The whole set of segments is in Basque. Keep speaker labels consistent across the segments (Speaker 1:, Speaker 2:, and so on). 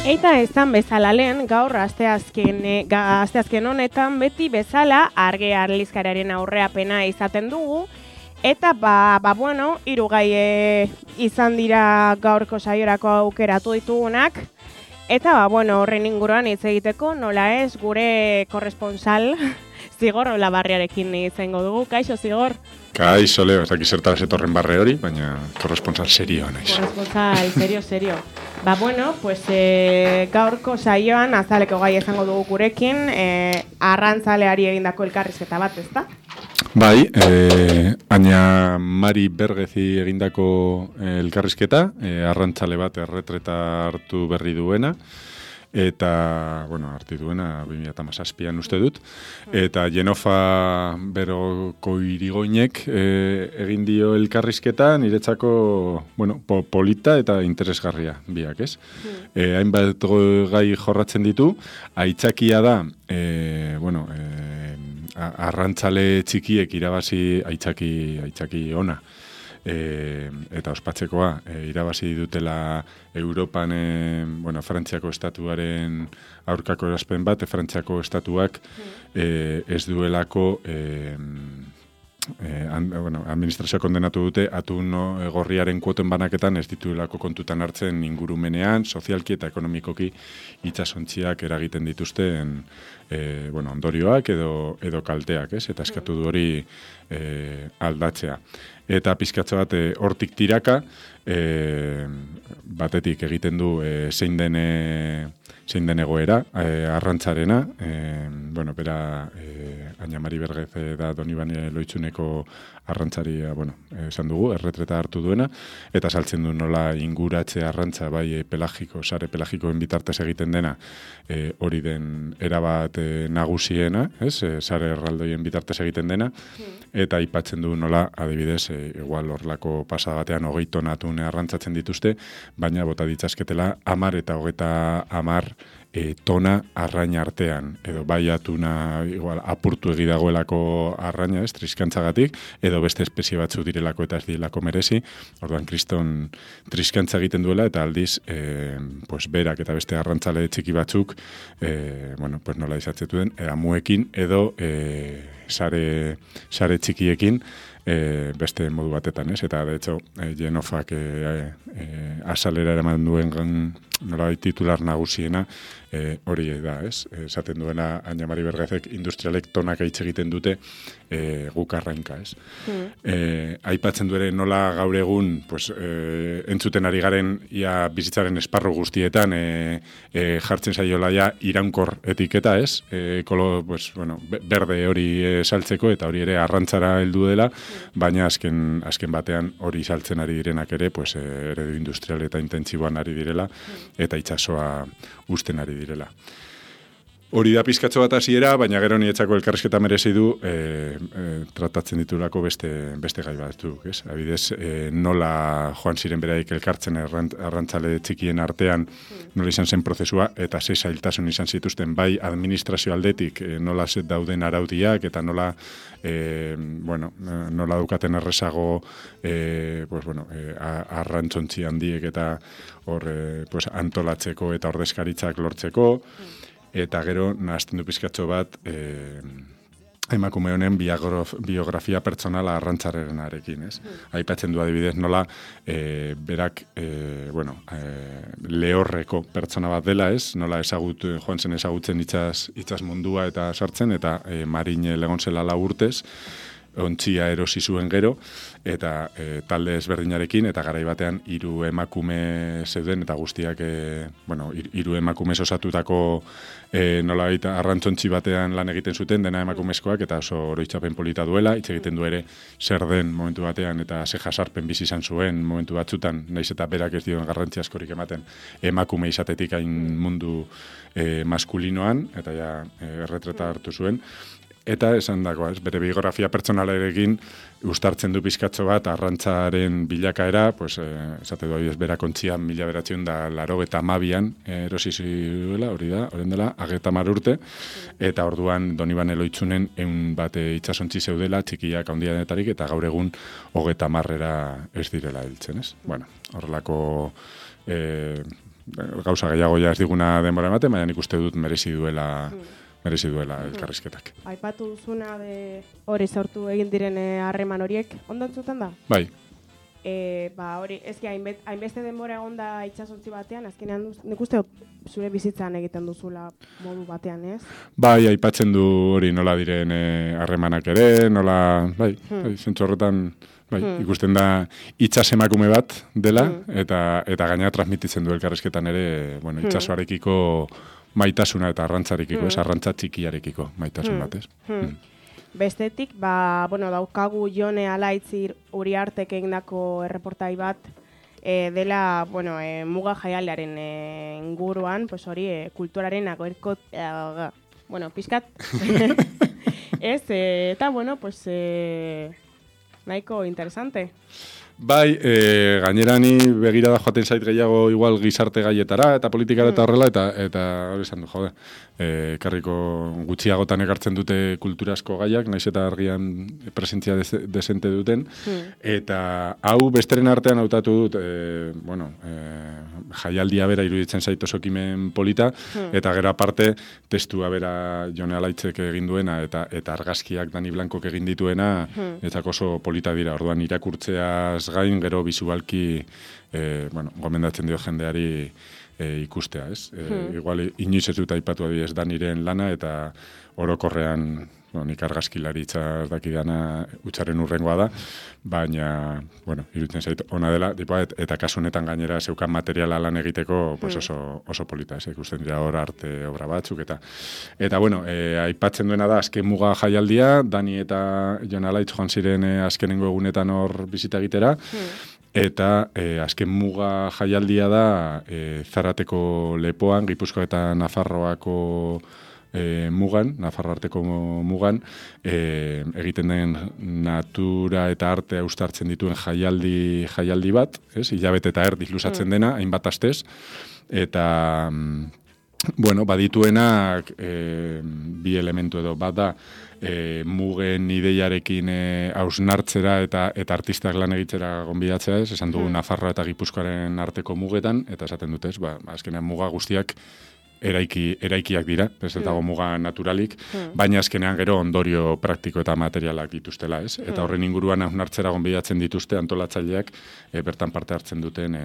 Speaker 1: Eta ezan bezala lehen, gaur asteazken honetan beti bezala arge arlizkararen aurreapena izaten dugu. Eta bueno, hiru gai izan dira gaurko saiorako aukeratu ditugunak. Eta bueno, horren inguruan hitz egiteko, nola ez, gure korresponsal Zigor Olabarriarekin izango dugu. Kaixo, Zigor?
Speaker 2: Kaixo, Leo, ez dakit zertara zetorren barre hori, baina korresponsal serioa naiz.
Speaker 1: Korresponsal, serio. Bueno, pues gaurko saioan azaleko gai izango dugu gurekin, arrantzaleari egindako elkarrizketa bat, ezta?
Speaker 2: Bai, Aina Mari Bergezi egindako elkarrizketa, arrantzale bat erretreta hartu berri duena, eta, bueno, hartu duena 2017an uste dut, eta Jenofa Beroko Irigoinek egin dio elkarrizketa niretzako, bueno, polita eta interesgarria biak, ez? Hainbat gai jorratzen ditu, aitzakia da, arrantzale txikiek irabazi aitzaki ona. Eta ospatzekoa, irabazi dutela Europan, Frantziako estatuaren aurkako erazpen bat, Frantziako estatuak ez duelako administrazioa kondenatu dute atun gorriaren kuoten banaketan ez dituelako kontutan hartzen ingurumenean, sozialki eta ekonomikoki itsasontziak eragiten dituzten ondorioak edo kalteak, ez? Eta eskatu du hori aldatzea. Eta pizkatxo bat hortik tiraka, batetik egiten du zein den egoera, arrantzarena, bera Aina Mari Bergez da Donibane Loitzuneko arrantzaria, esan dugu, erretreta hartu duena, eta saltzen du nola inguratze arrantza, bai sare pelagikoen bitartez egiten dena, hori den erabat nagusiena, sare erraldoien bitartez egiten dena, eta aipatzen du nola, adibidez, igual horlako pasada batean 20 tona atun arrantzatzen dituzte, baina bota ditzazketela 10 eta 30 tona arraina artean, edo bai atuna igual apurtu egidagoelako arraina, triskantzagatik, edo beste espezie batzu direlako eta ez direlako merezi, orduan kriston triskantza egiten duela, eta aldiz, berak eta beste arrantzale txiki batzuk, nola izatzetu den, amuekin edo sare txikiekin, beste modu batetan, ez? Eta, de hecho, Jenofak asalera eraman duen nolabait titular nagusiena hori da, ez? Esaten duena Aina Mari Bergezek industrialek tonak aitz egiten dute guk arrainka, ez? Aipatzen du ere nola gaur egun entzuten ari garen ia bizitzaren esparru guztietan jartzen zaiola ja iraunkor etiketa, ez? Berde hori saltzeko eta hori ere arrantzara heldu dela, baina azken batean hori saltzen ari direnak ere, eredu industrial eta intentsiboan ari direla, eta itsasoa uzten ari direla. Hori da pizkatxo bat hasiera, baina gero nietzako elkarrizketa merezi du tratatzen ditulako beste gai batzuk, ez? Adibidez, nola joan ziren beraik elkartzen arrantzale txikien artean, nola izan zen prozesua, eta ze zailtasun izan zituzten bai administrazio aldetik, nola dauden araudiak, eta nola dukaten errezago arrantzontzi handiek eta hor antolatzeko eta ordezkaritzak lortzeko, eta gero nahazten du pizkatxo bat emakume honen biografia pertsonala arrantzarrenarekin, ez? Aipatzen du adibidez nola berak lehorreko pertsona bat dela, ez? Nola joan zen ezagutzen itsas mundua eta sartzen, eta marine legon zela 4 urtez, ontzia erosi zuen gero, eta talde ezberdinarekin, eta garai batean 3 emakume zeuden, eta guztiak, 3 emakumez osatutako nolabait arrantzontzi batean lan egiten zuten, dena emakumezkoak, eta oso oroitzapen polita duela, hitz egiten du ere zer den momentu batean, eta ze jasarpen bizi izan zuen momentu batzutan, naiz eta berak ez dioen garrantzi askorik ematen, emakume izatetik hain mundu maskulinoan, eta ja erretreta hartu zuen. Eta esan dago, bere biografia pertsonalarekin uztartzen du pizkatxo bat arrantzaren bilakaera, esate du berak ontzian 1982an erosi zuela, hori da, horren dela, 30 urte, eta orduan Donibane Loitzunen 100 bat itsasontzi zeudela, txikiak handienetarik, eta gaur egun 30 ez direla heltzen, ez? Horrelako gauza gehiago ja ez diguna denbora ematen, baina nik uste dut merezi duela elkarrizketak.
Speaker 1: Aipatu duzuna hori sortu egin diren harreman horiek, ondo entzuten da?
Speaker 2: Bai.
Speaker 1: Hori, ezki hainbeste denbora egonda itsasontzi batean, azkenean nik uste zure bizitzan egiten duzula modu batean, ez?
Speaker 2: Bai, aipatzen du hori nola diren harremanak ere, nola, zentzu horretan, ikusten da itsas emakume bat dela, eta gainera transmititzen du elkarrizketan ere, itsasoarekiko maitasuna eta arrantzarekiko, ez, arrantza txikiarekiko maitasun bat, ez?
Speaker 1: Bestetik, daukagu Jone Alaitz Uriartek egindako erreportai bat dela, muga jaialdiaren inguruan, pues hori, kulturaren agoerko, pixkat, ez, eta, pues, nahiko interesante.
Speaker 2: Bai, gainera ni begirada joaten zait gehiago igual gizarte gaietara eta politikara eta horrela, eta hori esan du, jode, karriko gutxiagotan ekartzen dute kulturazko gaiak, naiz eta argian presentzia desente duten, eta hau besteren artean hautatu dut, jaialdia bera iruditzen zait oso ekimen polita, eta gero aparte testua bera Jone Alaitzek egin duena, eta argazkiak Dani Blankok egin dituena, etzak oso polita dira, orduan irakurtzeaz gain, gero bisualki, gomendatzen dio jendeari ikustea, ez? Igual, inoiz ez dut aipatu adibidez Daniren lana, eta orokorrean, nik argazkilaritza ez dakidana utxaren urrengoa da, baina, iruditzen zait, ona dela, eta kasu honetan gainera zeukan materiala lan egiteko, pues oso polita, ez? Ikusten dira hor arte obra batzuk, eta aipatzen duena da, azken muga jaialdia, Dani eta Jon Alaitz joan ziren azkenengo egunetan hor bizita egitera, eta azken muga jaialdia da Zarateko lepoan, Gipuzkoa eta Nafarroako mugan, Nafarro arteko mugan, egiten den natura eta artea uztartzen dituen jaialdi bat, ez? Hilabete eta erdi luzatzen dena, hainbat astez, eta badituenak bi elementu edo, bat da, mugen ideiarekin hausnartzera eta artistak lan egitzera gonbidatzea, ez? Esan dugu Nafarroa eta Gipuzkoaren arteko mugetan, eta esaten dute, azkenean muga guztiak eraikiak dira, ez dago muga naturalik, baina azkenean gero ondorio praktiko eta materialak dituztela, ez? Eta horren inguruan hausnartzera gonbidatzen dituzte antolatzaileak bertan parte hartzen duten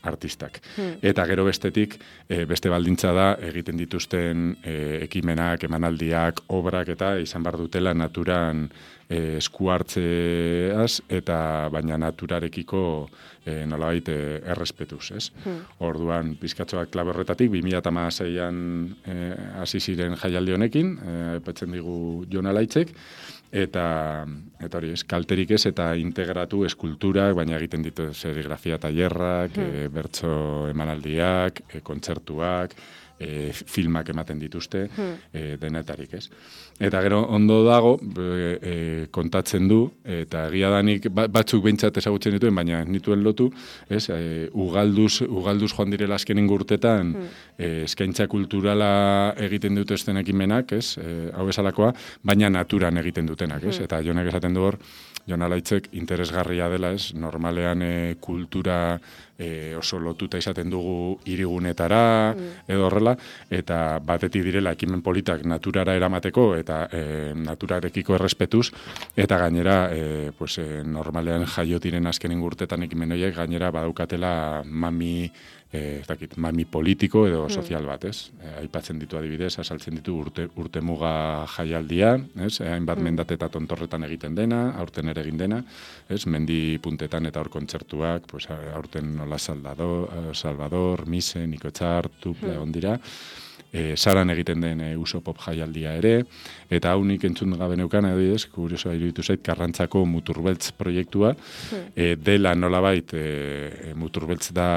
Speaker 2: artistak. Eta gero bestetik, beste baldintza da, egiten dituzten ekimenak, emanaldiak, obrak eta izan bar dutela naturan esku hartzeaz, eta baina naturarekiko nolabait errespetuz, ez? Orduan, pizkatxoak klabe horretatik, 2016an hasi ziren jaialdi honekin, aipatzen digu Jon Alaitzek, eta hori, kalterik ez, eta integratu eskulturak, baina egiten ditu serigrafia tailerrak, bertso emanaldiak, kontzertuak, filmak ematen dituzte, denetarik, ez? Eta gero ondo dago, kontatzen du, eta egia danik batzuk behintzat ezagutzen dituen, baina nituen lotu, ez? Ugalduz joan direla azkenen urtetan, eskaintza kulturala egiten dituzten ekimenak, ez? Hau bezalakoa, baina naturan egiten dutenak, ez? Eta Jonek esaten du hor, Jon Alaitzek interesgarria dela, ez? Normalean kultura oso lotuta izaten dugu hirigunetara edo horrela, eta batetik direla ekimen politak naturara eramateko eta naturarekiko errespetuz, eta gainera normalean jaiotiren azkenen urtetan ekimen horiek gainera badaukatela mami politiko edo sozial bat, ez? Aipatzen ditu adibidez, azaltzen ditu urtemuga jaialdia, ez? Hainbat mendate eta tontorretan egiten dena, aurten ere egin dena, ez? Mendi puntetan eta hor kontzertuak, aurten nola Salvador, Mise, Niko Etxar, Tuple, ondira, Saran egiten den uso pop jaialdia ere, eta hau nik entzun gabe neukan, adibidez, kuriosoa iruditu zait, Karrantzako Muturbeltz proiektua, dela nolabait Muturbeltz da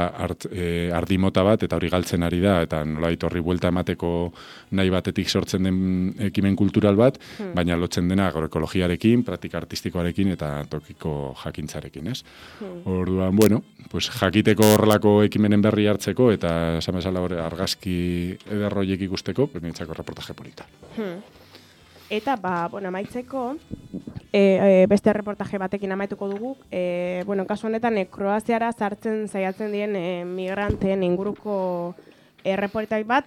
Speaker 2: ardimota bat, eta hori galtzen ari da, eta nolabait horri buelta emateko nahi batetik sortzen den ekimen kultural bat, baina lotzen dena agroekologiarekin, praktika artistikoarekin eta tokiko jakintzarekin, ez? Orduan, jakiteko horrelako ekimenen berri hartzeko, eta esan bezala argazki ederroiek ikusteko, niretzako reportaje polita.
Speaker 1: Eta, bueno, amaitzeko, beste reportaje batekin amaituko dugu. Kasu honetan, Kroaziara sartzen saiatzen diren migranteen inguruko reportai bat,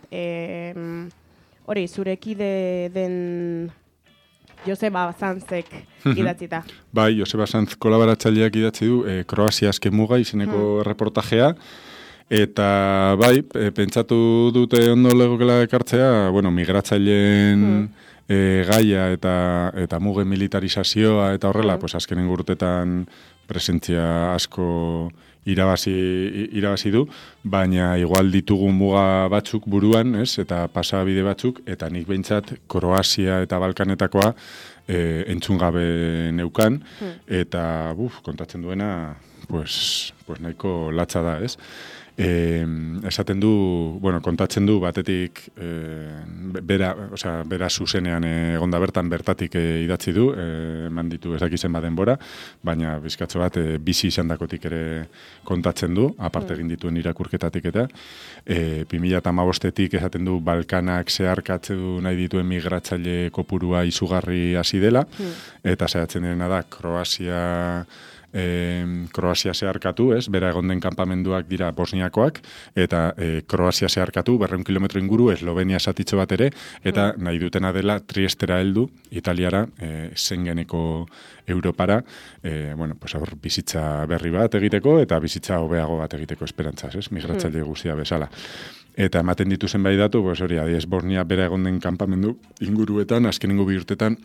Speaker 1: hori, zurekide den Joseba Sanzek idatzita.
Speaker 2: Bai, Joseba Sanz kolaboratzaileak idatzi du Kroazia azken muga izeneko reportajea. Eta bai, pentsatu dute ondo legokela ekartzea, migratzaileen gaia eta mugen militarizazioa eta horrela, pues azkenen urtetan presentzia asko irabazi du, baina igual ditugu muga batzuk buruan, ez? Eta pasabide batzuk, eta nik behintzat Kroazia eta Balkanetakoa entzun gabe neukan, eta kontatzen duena, pues nahiko latza da, ez? Esaten du, kontatzen du batetik bera zuzenean egonda bertatik idatzi du, eman ditu ezakizen badenbora, baina bizkatzo bat bizi izandakotik ere kontatzen du, aparte egin dituen irakurketatik eta 2015etik esaten du Balkanak zeharkatzen nahi dituen migratzaile kopurua izugarri hasi dela, eta saiatzen dena da Kroazia zeharkatu, ez? Bera egon den kanpamenduak dira Bosniakoak, eta Kroazia zeharkatu, 200 kilometro inguru, Eslovenia satitxo bat ere, eta nahi dutena dela Triestera heldu, Italiara, Schengeneko Europara, hor bizitza berri bat egiteko, eta bizitza hobeago bat egiteko esperantzaz, ez? Migratzaile guztia bezala. Eta ematen ditu zenbait datu, hori, adiez, Bosnia bera egon den kanpamendu inguruetan, azkenengo 2 urtetan,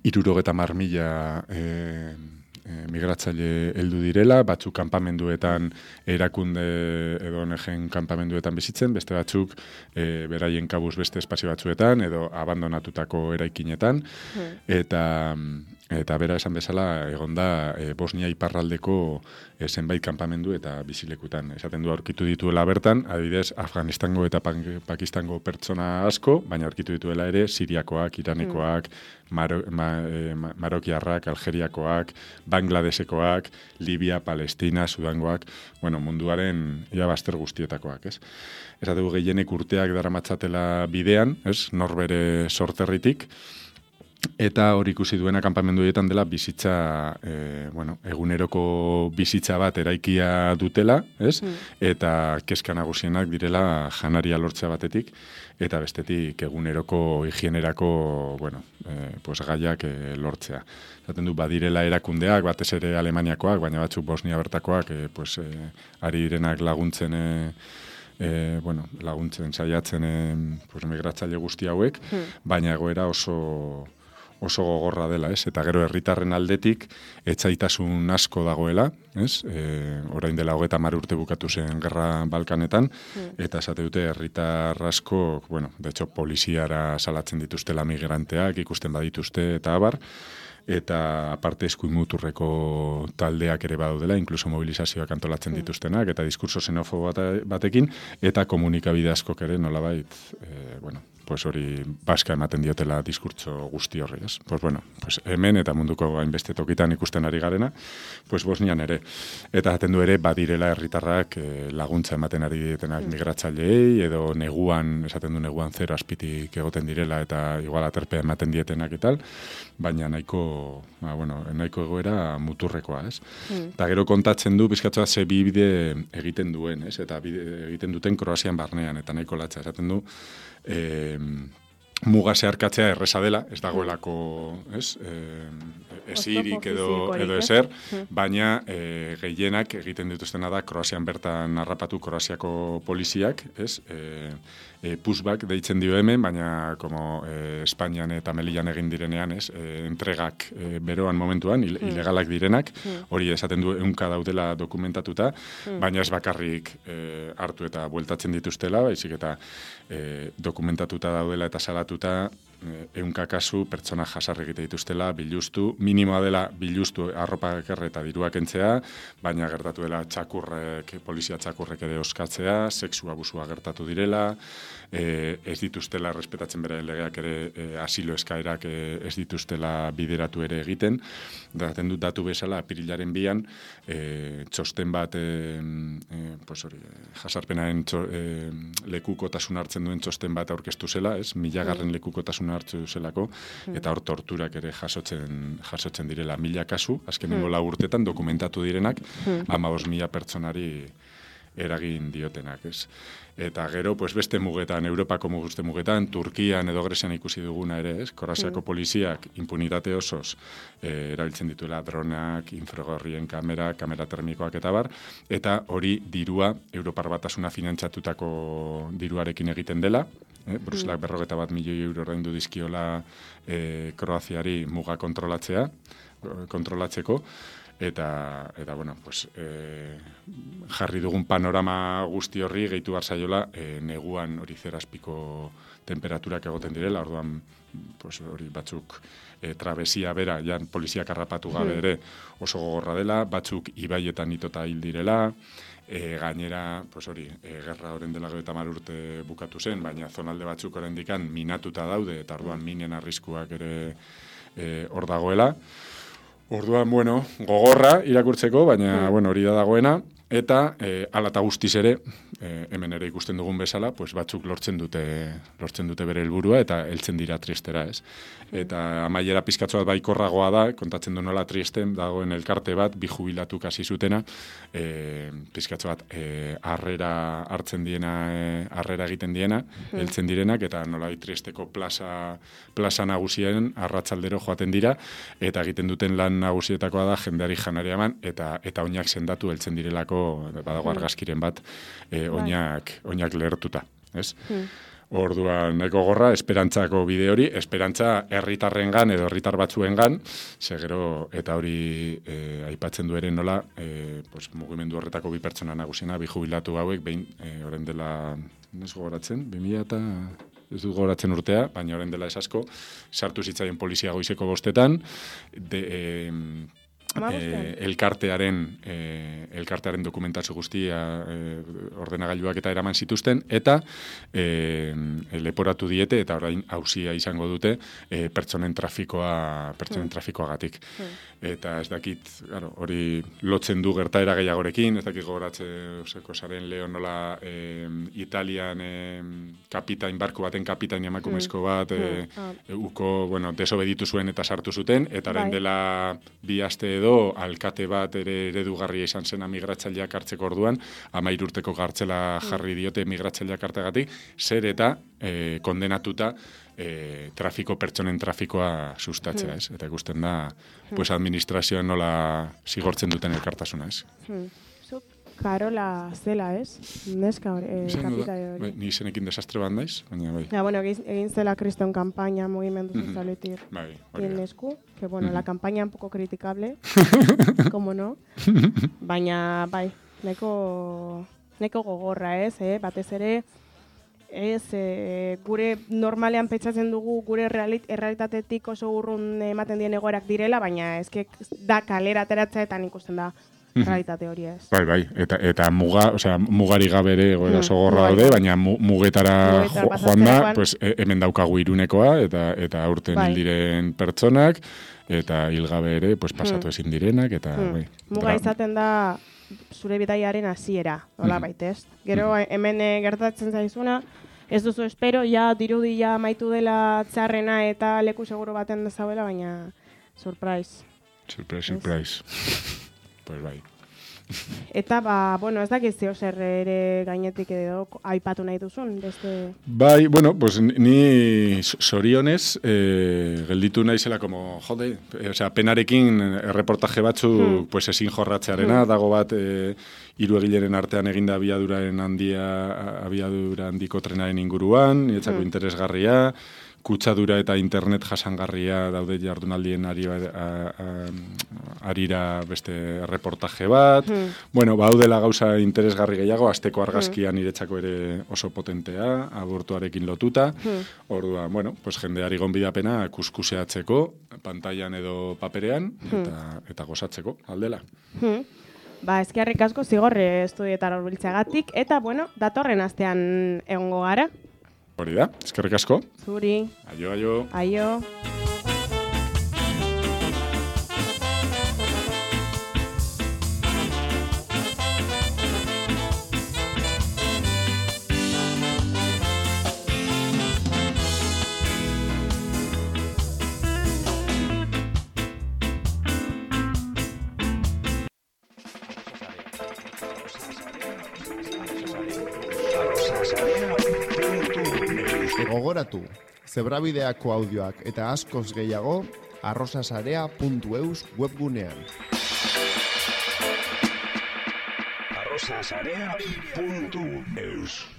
Speaker 2: 70.000 migratzaile heldu direla, batzuk kanpamenduetan erakunde edo ONG-en kanpamenduetan bizitzen, beste batzuk beraien kabuz beste espazio batzuetan edo abandonatutako eraikinetan, eta bera esan bezala egonda Bosnia iparraldeko zenbait kanpamendu eta bizilekutan. Esaten du aurkitu dituela bertan, adibidez Afganistango eta Pakistango pertsona asko, baina aurkitu dituela ere Siriakoak, Iranekoak, Marokiarrak, Algeriakoak, Bangladesekoak, Libia, Palestina, Sudangoak, munduaren baster guztietakoak, ez? Esate du gehienek urteak daramatzatela bidean, ez? Norbere sorterritik, eta hori ikusi duena kanpamendu horietan dela bizitza, eguneroko bizitza bat eraikia dutela, ez? Eta kezka nagusienak direla janaria lortzea batetik, eta bestetik eguneroko higienerako, gaiak lortzea. Zaten du, badirela erakundeak, batez ere Alemaniakoak, baina batzuk Bosnia bertakoak, ari direnak laguntzen saiatzen migratzaile guzti hauek, baina egoera oso gogorra dela, ez? Eta gero herritarren aldetik etsaitasun asko dagoela, ez? Orain dela 30 urte bukatu zen gerra Balkanetan, eta esate dute herritar asko, de hecho, poliziara salatzen dituztela migranteak, ikusten badituzte eta abar, eta aparte eskuin muturreko taldeak ere badaudela, inkluso mobilizazioak antolatzen dituztenak, eta diskurso xenofobo batekin, eta komunikabide askok ere nolabait, hori baska ematen diotela diskurtso guzti horri, ez? Hemen eta munduko hainbeste tokitan ikusten ari garena, Bosnian ere. Eta jaten du ere, badirela herritarrak laguntza ematen ari dietenak migratzaileei, edo neguan, esaten du neguan 0 azpitik egoten direla, eta igual aterpea ematen dietenak etal, baina nahiko egoera muturrekoa, ez? Eta gero kontatzen du, bizkatzoa ze bide egiten duen, ez? Eta egiten duten Kroazian barnean, eta nahiko latza, esaten du, muga zeharkatzea erreza dela, ez dagoelako, ez? Esirik edo ezer, baina gehienak egiten dituztena da Kroazian bertan harrapatu Kroaziako poliziak, ez? Pushback deitzen dio hemen, baina Espainian eta Melillan egin direnean, ez? Entregak beroan momentuan, ilegalak direnak, hori esaten du 100 daudela dokumentatuta, baina ez bakarrik hartu eta bueltatzen dituztela, baizik eta dokumentatuta daudela eta salatuta 100 kasu pertsona jasarri egite dituztela, biluztu, minimoa dela biluztu arropa ekerre eta diruak entzea, baina gertatu dela polizia txakurrek ere oskatzea, sexu abusua gertatu direla, ez dituztela respetatzen beraien legeak ere asilo eskaerak ez dituztela bideratu ere egiten. Daten dut datu bezala, apirilaren 2an, txosten bat, jasarpenaren lekukotasun hartzen duen txosten bat aurkeztu zela, ez? 1000. Lekukotasun hartzu zelako, eta hor torturak ere jasotzen direla 1000 kasu, azkenengo 4 urtetan dokumentatu direnak, 15.000 pertsonari eragin diotenak, ez? Eta gero, pues beste mugetan, Europako beste mugetan, Turkian edo Grezian ikusi duguna ere, ez? Kroaziako poliziak impunitate osoz erabiltzen dituela dronak, infragorrien kamera termikoak eta bar, eta hori dirua, Europar Batasuna finantzatutako diruarekin egiten dela, Bruselak 41 milioi euro ordaindu dizkiola Kroaziari muga kontrolatzeko, eta bueno, pues, jarri dugun panorama guzti horri gehitu barzaiola neguan hori 0 temperaturak egoten direla, orduan pues, hori batzuk trabesia bera, jan poliziak harrapatu gabe ere oso gogorra dela, batzuk ibaietan itota hil direla, gainera, pues hori, gerra horren dela 30 urte bukatu zen, baina zonalde batzuk oraindikan minatuta daude, eta orduan minen arriskuak ere hor dagoela. Orduan, bueno, gogorra irakurtzeko, baina, bueno, hori da dagoena, eta hala eta guztiz ere, hemen ere ikusten dugun bezala, pues batzuk lortzen dute bere helburua eta heltzen dira Triestera, ez? Eta amaiera pizkatxo bat baikorragoa da, kontatzen du nola Triesten dagoen elkarte bat, bi jubilatu kasi zutena, pizkatxo bat harrera hartzen diena, harrera egiten diena, heltzen direnak, eta nola Triesteko plaza nagusien arratsaldero joaten dira, eta egiten duten lan nagusietakoa da jendeari janari eman, eta oinak sendatu heltzen direlako, badago argazkiren bat, oinak lehertuta, ez? Orduan, nahiko gorra, esperantzako bide hori, esperantza herritarrengan edo herritar batzuengan, segero, eta hori aipatzen du ere nola, pues, mugimendu horretako 2 pertsona nagusiena, 2 jubilatu hauek, behin, orain dela, ez gogoratzen, 2000 eta... ez dut gogoratzen urtea, baina orain dela ez asko, sartu zitzaien polizia goizeko 5etan, elkartearen dokumentazio guztia ordenagailuak eta eraman zituzten, eta leporatu diete, eta orain auzia izango dute pertsonen trafikoagatik. Eta ez dakit, hori lotzen du gertaera gehiagorekin, ez dakit gogoratzeko zaren leo nola Italian kapitain, barku baten kapitain emakumezko bat, desobeditu zuen eta sartu zuten, eta orain dela 2 aste edo alkate bat ere eredugarria izan zen migratzaileak hartzeko orduan, 13 urteko gartzela jarri diote migratzaileak hartegatik, zer eta kondenatuta pertsonen trafikoa sustatzea, ez? Eta ikusten da, pues administrazioan nola zigortzen duten elkartasuna, ez?
Speaker 1: Karola zela, ez? Neska kapitale hori.
Speaker 2: Ni izenekin desastre bat naiz, baina bai.
Speaker 1: Ja, bueno, egin zela kriston kampaina mugimendu sozialetik.
Speaker 2: Bai,
Speaker 1: Nesku, que bueno, la campaña un poco criticable, como no, baina bai, neko gogorra, ez, batez ere, ez, gure normalean pentsatzen dugu gure errealitatetik oso urrun ematen dien egoerak direla, baina eske da kalera ateratzeetan ikusten da realitate hori ez.
Speaker 2: Bai, eta mugari gabe ere egoera oso gorra daude, baina mugetara joan da, pues, hemen daukagu Irunekoa, eta aurten hil diren pertsonak, eta hil gabe ere, pues, pasatu ezin direnak, eta bai.
Speaker 1: Muga izaten da zure bidaiaren hasiera, nola baitez. Gero hemen gertatzen zaizuna, ez duzu espero, ja dirudi ja amaitu dela txarrena eta leku seguro baten dezauela, baina surprise.
Speaker 2: Surprise. Pues bai.
Speaker 1: Eta, bueno, ez dakit zeo zer ere gainetik edo aipatu nahi duzun, beste...
Speaker 2: Bai, bueno, pues ni zorionez gelditu naizela como, jode, penarekin erreportaje batzuk pues ezin jorratzearena, dago bat 3 egileren artean eginda abiadura handiko trenaren inguruan, nietzako interesgarria, kutsadura eta internet jasangarria daude jardunaldien arira beste reportaje bat. Bueno, baudela gauza interesgarri gehiago, asteko argazkia niretzako ere oso potentea, abortuarekin lotuta. Orduan, bueno, pues jendeari gonbidapena kuskuseatzeko, pantailan edo paperean, eta gozatzeko, aldela.
Speaker 1: Eskerrik asko zigorre estudietara hurbiltzeagatik, eta, bueno, datorren astean egongo gara.
Speaker 2: Hori da, eskerrik asko.
Speaker 1: Zuri.
Speaker 2: Aio.
Speaker 1: Aio.
Speaker 3: Gogoratu, zebrabideako audioak eta askoz gehiago arrosasarea.eus webgunean.
Speaker 4: arrosasarea.eus